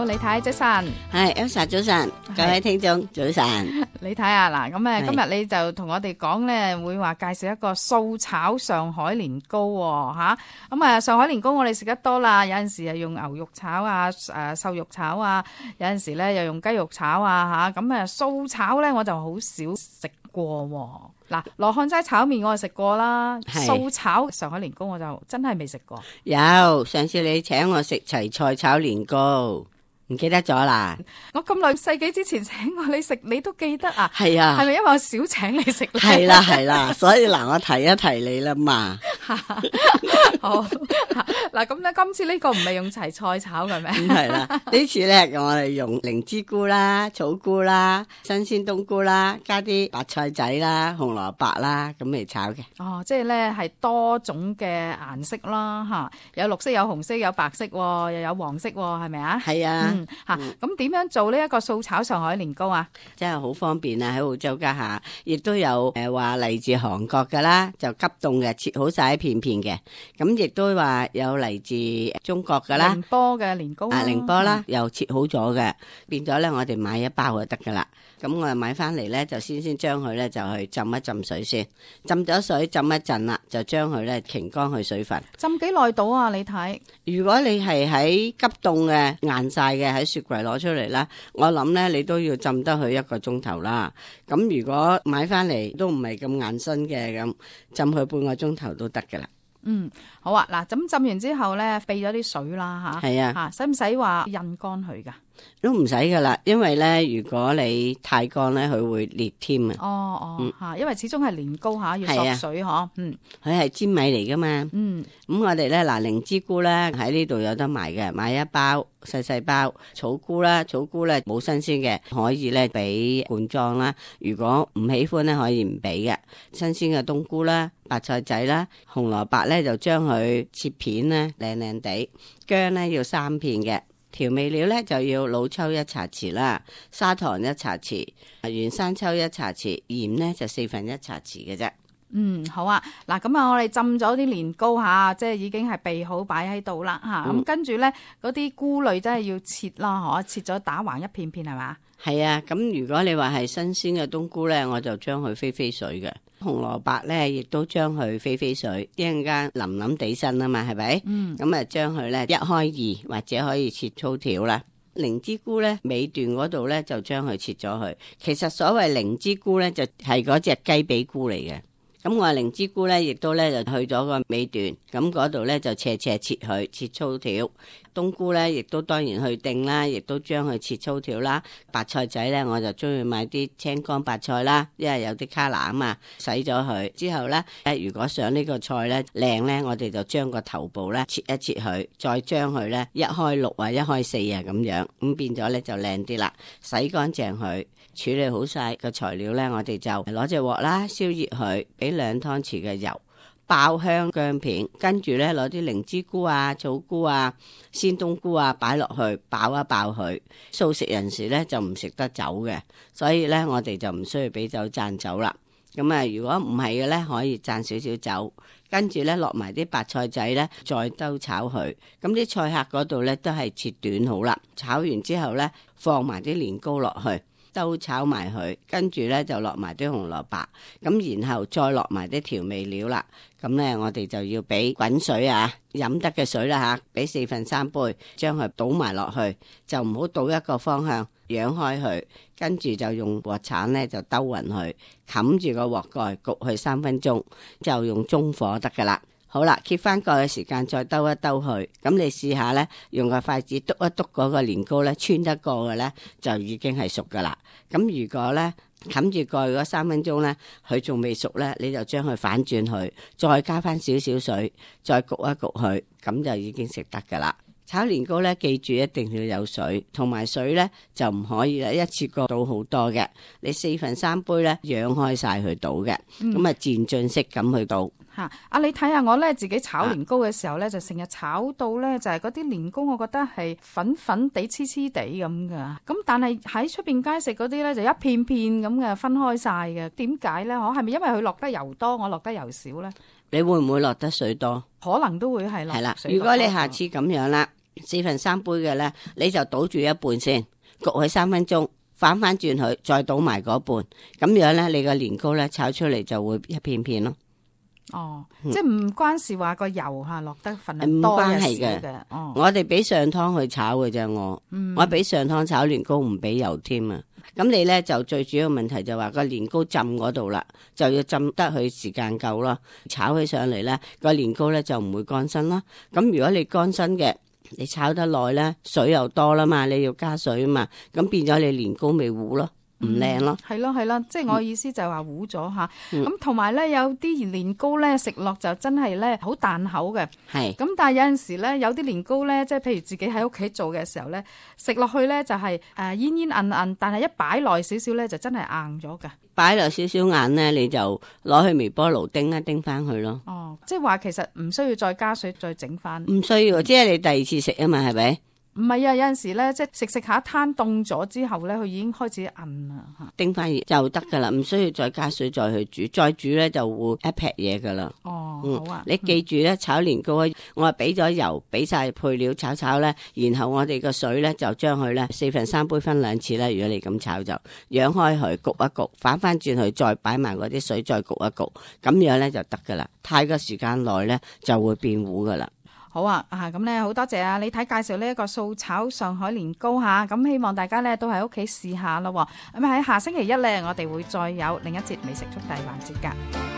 李太早晨，係 Elsa 早晨，各位聽眾早晨。李太啊，嗱咁今日你就同我哋講咧，會話介紹一個素炒上海年糕吓。咁上海年糕我哋食得多啦，有陣時係用牛肉炒啊，瘦肉炒啊，有陣時咧又用雞肉炒啊吓。咁素炒咧我就好少食過。嗱，羅漢齋炒麵我就食過啦，素炒上海年糕我就真係未食過。有上次你請我食齊菜炒年糕，唔記得咗啦？我咁耐世紀之前請過你食，你都記得啊？係啊，係咪因為我少請你食咧？係啦係啦，所以嗱，我提一提你啦嘛。好嗱，咁咧今次呢個唔係用齊菜炒嘅咩？唔係啦，呢次咧我哋用靈芝菇啦、草菇啦、新鮮冬菇啦，加啲白菜仔啦、紅蘿蔔啦，咁嚟炒嘅。哦，即係咧係多種嘅顏色啦，吓，有綠色、有紅色、有白色，又有黃色，係咪啊？係啊，咁點樣做呢一個素炒上海年糕啊？真係好方便啊！喺澳洲家下，亦都有話嚟自韓國噶啦，就急凍嘅，切好晒一片片嘅。咁亦都話有嚟自中國噶啦，寧波嘅年糕寧波啦，又切好咗嘅，變咗咧我哋買一包就得噶啦。咁我買翻嚟咧就先將佢咧就去浸一浸水先，浸咗水浸一陣啦，就將佢咧擎乾去水分。浸幾耐到啊？你睇，如果你係喺急凍嘅硬晒嘅喺雪櫃攞出嚟啦，我諗咧你都要浸得佢1個鐘頭啦。咁如果買翻嚟都唔係咁硬身嘅，咁浸佢半個鐘頭都得噶啦。好啊，嗱，咁浸完之後咧，避咗啲水啦吓。係啊，使唔使話印乾佢噶？都唔使噶啦，因為咧，如果你太乾咧，佢會裂添啊。因為始終係年糕吓，要索水嗬。佢係粘米嚟噶嘛。咁我哋咧嗱，靈芝菇咧喺呢度有得賣嘅，買一包細包。草菇啦，草菇咧冇新鮮嘅，可以咧俾罐裝啦。如果唔喜歡咧，可以唔俾嘅。新鮮嘅冬菇啦，白菜仔啦，紅蘿蔔咧就將佢切片咧靚靚地，薑咧要3片嘅。調味料咧就要老抽1茶匙啦，砂糖1茶匙，原生抽1茶匙，鹽咧就1/4茶匙嘅啫。好啊，嗱咁我哋浸咗啲年糕吓，即係已經係備好擺喺度啦吓。咁跟住咧嗰啲菇類真係要切啦，切咗打橫一片片係嘛？係啊，咁如果你話係新鮮嘅冬菇咧，我就將佢飛水嘅。紅蘿蔔咧，亦都將佢飛水，一陣間腍腍地身啊嘛，係咪？咁將佢咧1開2，或者可以切粗條啦。靈芝菇咧尾段嗰度咧就將佢切咗佢。其實所謂靈芝菇咧就係嗰隻雞髀菇嚟嘅。咁我靈芝菇咧亦都咧就去咗個尾段，咁嗰度咧就斜切佢，切粗條。冬菇咧亦都當然去定啦，亦都將佢切粗條啦。白菜仔咧我就中意買啲青乾白菜啦，因為有啲卡拿啊嘛，洗咗佢之後咧，如果想呢個菜咧靚咧，我哋就將個頭部咧切一切佢，再將佢咧1開6啊，1開4啊咁樣，咁變咗咧就靚啲啦。洗乾淨佢，處理好晒個材料咧，我哋就攞隻鑊啦，燒熱佢，俾2湯匙嘅油，爆香薑片，跟住咧攞啲靈芝菇啊、草菇啊、鮮冬菇啊擺落去，爆一爆佢。素食人士咧就唔食得酒嘅，所以咧我哋就唔需要俾酒讚酒啦。咁如果唔係嘅咧，可以讚少少酒，跟住咧落埋啲白菜仔咧，再兜炒佢。咁啲菜客嗰度咧都係切短好啦。炒完之後咧，放埋啲年糕落去。兜炒埋佢，跟住咧就落埋啲紅蘿蔔，咁然後再落埋啲調味料啦。咁咧我哋就要俾滾水啊，飲得嘅水啦吓，俾4/3杯，將佢倒埋落去，就唔好倒一個方向，揚開佢，跟住就用鑊鏟咧就兜勻佢，冚住個鑊蓋焗佢3分鐘，就用中火得噶啦。好啦，揭翻蓋嘅時間再兜一兜佢，咁你試下咧，用個筷子篤一篤嗰個年糕咧，穿得過嘅咧，就已經係熟噶啦。咁如果咧冚住蓋嗰3分鐘咧，佢仲未熟咧，你就將佢反轉佢，再加翻少少水，再焗一焗佢，咁就已經食得噶啦。炒年糕咧，記住一定要有水，同埋水咧就唔可以啦，一次過倒好多嘅，你4/3杯咧，揚開晒佢倒嘅，咁漸進式咁去倒。你睇下我咧自己炒年糕嘅時候咧，就成日炒到咧就係嗰啲年糕，我覺得係粉粉地、黐黐地咁噶。咁但係喺出邊街食嗰啲咧，就一片片咁嘅分開晒嘅。點解咧？係咪因為佢落得油多，我落得油少咧？你會唔會落得水多？可能都會係落水多。係啦，如果你下次咁樣啦， 4分3杯嘅咧，你就倒住一半先，焗佢3分鐘，反翻轉佢，再倒埋嗰半，咁樣咧，你個年糕咧炒出嚟就會一片片咯。哦，即係唔關事話個油吓落得份量多嘅少嘅。哦，我哋俾上湯去炒嘅啫，我俾上湯炒年糕唔俾油添啊。咁你咧就最主要問題就話個年糕浸嗰度啦，就要浸得佢時間夠咯，炒起上嚟咧個年糕咧就唔會乾身啦。咁如果你乾身嘅，你炒得耐咧，水又多啦嘛，你要加水啊嘛，咁變咗你年糕咪糊咯。唔靚咯，係咯，即係我意思就係話糊咗吓，咁同埋咧有啲年糕咧食落就真係咧好彈口嘅，係，咁但係有陣時咧有啲年糕咧，即係譬如自己喺屋企做嘅時候咧，食落去咧就係煙煙韌韌，但係一擺耐少少咧就真係硬咗㗎。擺落少少硬咧，你就攞去微波爐叮一叮翻去咯。哦，即係話其實唔需要再加水再整翻，唔需要，即係你第二次食啊嘛，係咪？唔係啊，有陣時咧，即係食下攤凍咗之後咧，佢已經開始韌啦，叮翻熱就得噶啦，唔需要再加水再去煮，再煮咧就會一劈嘢噶啦。哦，好啊，你記住咧，炒年糕我係俾咗油，俾晒配料炒咧，然後我哋個水咧就將佢咧4分3杯分2次啦。如果你咁炒就揚開佢焗一焗，反翻轉去再擺埋嗰啲水再焗一焗，咁樣咧就得噶啦。太過時間耐咧就會變糊噶啦。好啊，咁咧好多謝啊李太介紹呢一個素炒上海年糕吓，咁希望大家咧都喺屋企試下咯。咁喺下星期一咧，我哋會再有另一節美食速遞環節噶。